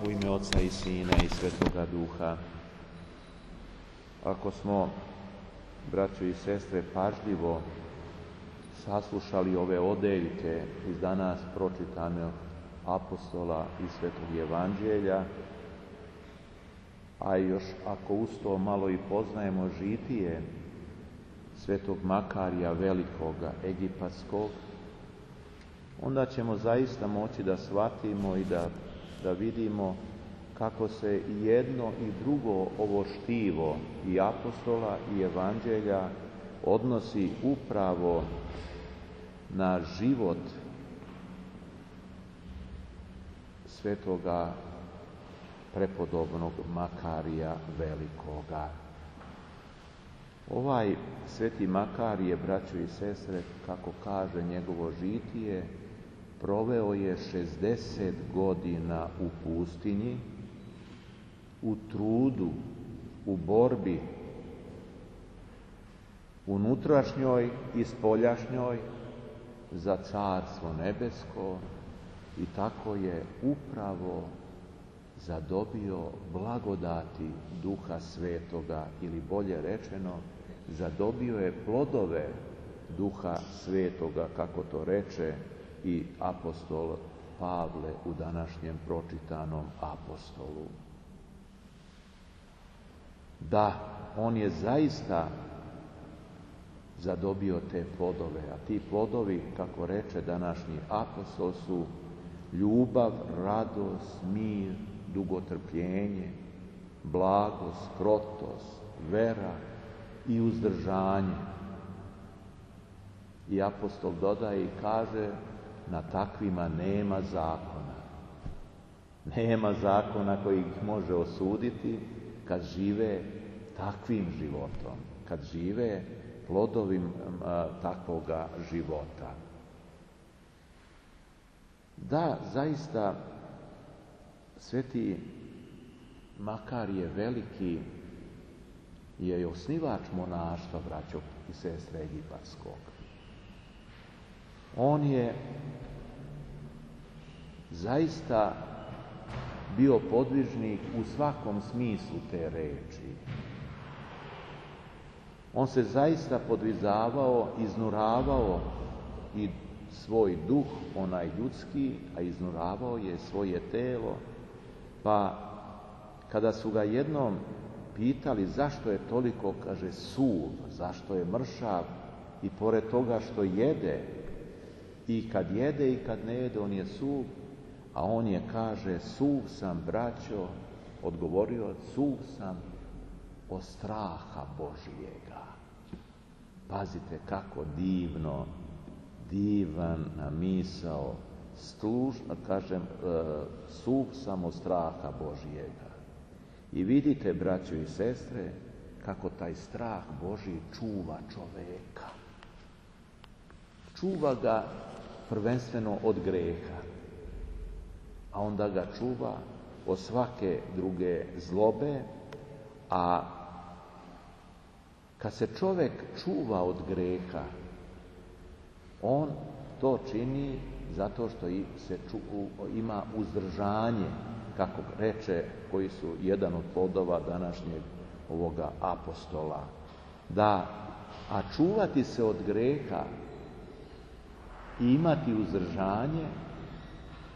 U ime Oca i Sina i Svetoga Duha. Ako smo, braćo i sestre, pažljivo saslušali ove odeljke iz danas pročitanog apostola i Svetog Evanđelja, a još ako uz to malo i poznajemo žitije Svetog Makarija Velikoga Egipatskog, onda ćemo zaista moći da shvatimo i da vidimo kako se i jedno i drugo ovo štivo i apostola i evanđelja odnosi upravo na život svetoga prepodobnog Makarija Velikoga. Ovaj sveti Makarije, braćo i sestre, kako kaže njegovo žitije, proveo je 60 godina u pustinji, u trudu, u borbi, unutrašnjoj i spoljašnjoj za Carstvo nebesko, i tako je upravo zadobio blagodati Duha Svetoga, ili bolje rečeno, zadobio je plodove Duha Svetoga, kako to reče i apostol Pavle u današnjem pročitanom apostolu. Da, on je zaista zadobio te plodove, a ti plodovi, kako reče današnji apostol, su ljubav, radost, mir, dugotrpljenje, blagost, krotost, vera i uzdržanje. I apostol dodaje i kaže: na takvima nema zakona. Nema zakona koji ih može osuditi kad žive takvim životom, kad žive plodovim takvoga života. Da, zaista, sveti Makarije Veliki je osnivač monaštva, braćo i sestre, egipatskog. On je zaista bio podvižnik u svakom smislu te reči. On se zaista podvizavao, iznuravao i svoj duh, onaj ljudski, a iznuravao je svoje telo. Pa kada su ga jednom pitali zašto je toliko, kaže, suv, zašto je mršav, i pored toga što jede, i kad jede i kad ne jede, on je suv, a on je, kaže, suv sam, braćo, odgovorio, suv sam od straha Božijega. Pazite kako divan misao, kažem, suv sam od straha Božijega. I vidite, braćo i sestre, kako taj strah Božji čuva čoveka. Čuva ga prvenstveno od greha, a onda ga čuva od svake druge zlobe, a kad se čovek čuva od greha, on to čini zato što ima uzdržanje, kako reče, koji su jedan od plodova današnjeg ovoga apostola. A čuvati se od greha i imati uzdržanje,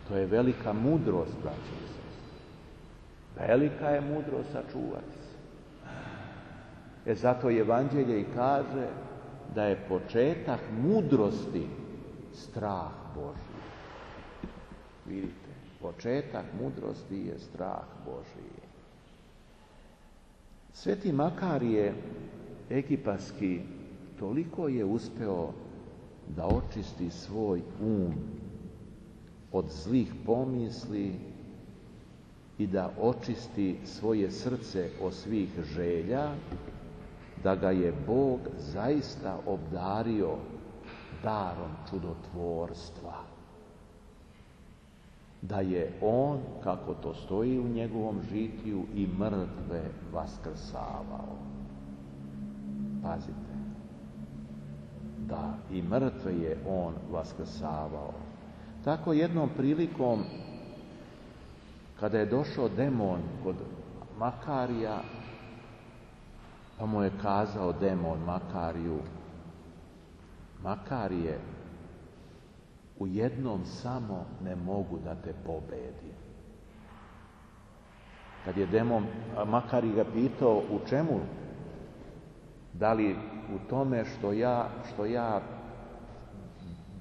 to je velika mudrost, braćo i sestre. Velika je mudrost sačuvati se. Zato Evanđelje i kaže da je početak mudrosti strah Božji. Vidite, početak mudrosti je strah Božji. Sveti Makarije Egipatski toliko je uspeo da očisti svoj od zlih pomisli i da očisti svoje srce od svih želja, da ga je Bog zaista obdario darom čudotvorstva. Da je on, kako to stoji u njegovom žitiju, i mrtve vaskrsavao. Pazite, da, i mrtve je on vaskrsavao. Tako jednom prilikom kada je došao demon kod Makarija, pa mu je kazao demon Makariju: Makarije, u jednom samo ne mogu da te pobedim. Kad je demon Makarij ga pitao u čemu, da li u tome što ja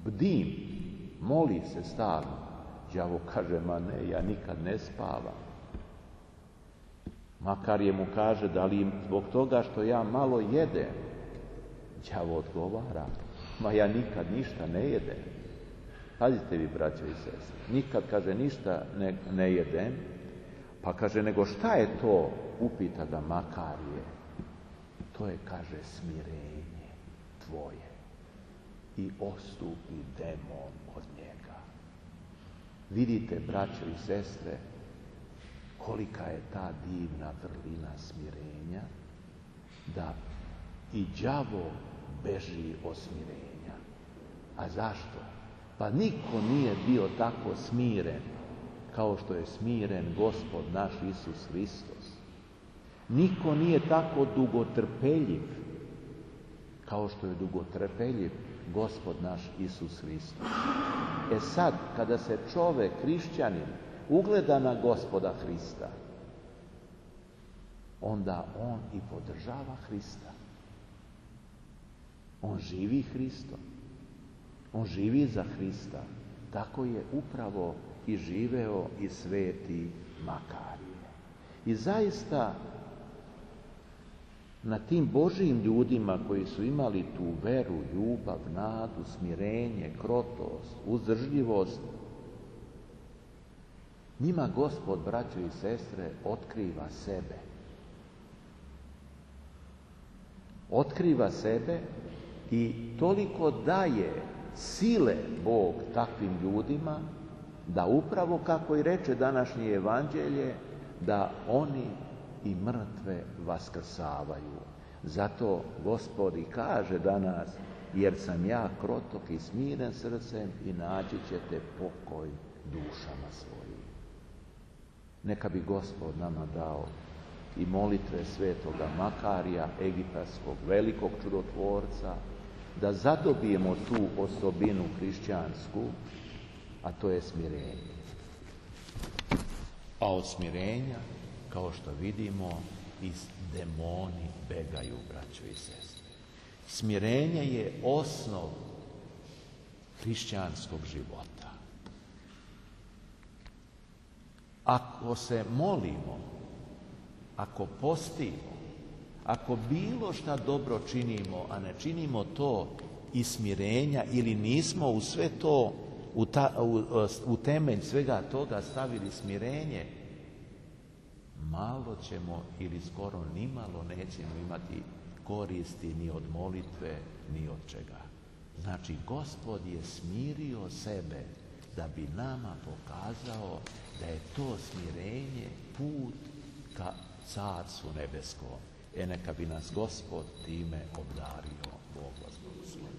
bdim, moli se stalno. Đavo kaže: ma ne, ja nikad ne spavam. Makarije mu kaže: da li zbog toga što ja malo jedem? Đavo odgovara: ma ja nikad ništa ne jedem. Pazite vi, braćo i sestre, nikad, kaže, ništa ne jedem. Pa kaže: nego šta je to? Upita ga Makarije. To je, kaže, smirenje tvoje. I ostupi demon od njega. Vidite, braćo i sestre, kolika je ta divna vrlina smirenja, da i đavo beži od smirenja. A zašto? Pa niko nije bio tako smiren kao što je smiren Gospod naš Isus Hristos. Niko nije tako dugotrpeljiv kao što je dugotrpeljiv Gospod naš Isus Hristos. E sad, kada se čovek, hrišćanin, ugleda na Gospoda Hrista, onda on i podržava Hrista. On živi Hristom. On živi za Hrista. Tako je upravo i živeo i sveti Makarije. I zaista na tim Božijim ljudima koji su imali tu veru, ljubav, nadu, smirenje, krotost, uzdržljivost, njima Gospod, braćo i sestre, otkriva sebe. Otkriva sebe i toliko daje sile Bog takvim ljudima da upravo, kako i reče današnje evanđelje, da oni i mrtve vaskrsavaju. Zato Gospod i kaže danas: jer sam ja krotok i smiren srcem i naći ćete pokoj dušama svojim. Neka bi Gospod nama dao i molitve svetoga Makarija, egipatskog velikog čudotvorca, da zadobijemo tu osobinu hrišćansku, a to je smirenje. A od smirenja, kao što vidimo, i demoni begaju, braćo i sestre. Smirenje je osnov hrišćanskog života. Ako se molimo, ako postimo, ako bilo šta dobro činimo, a ne činimo to iz smirenja ili nismo u sve to, u temelj svega toga stavili smirenje, malo ćemo ili skoro nimalo nećemo imati koristi ni od molitve, ni od čega. Znači, Gospod je smirio sebe da bi nama pokazao da je to smirenje put ka Carstvu nebeskom. Neka bi nas Gospod time obdario. Bog vas blagoslovi.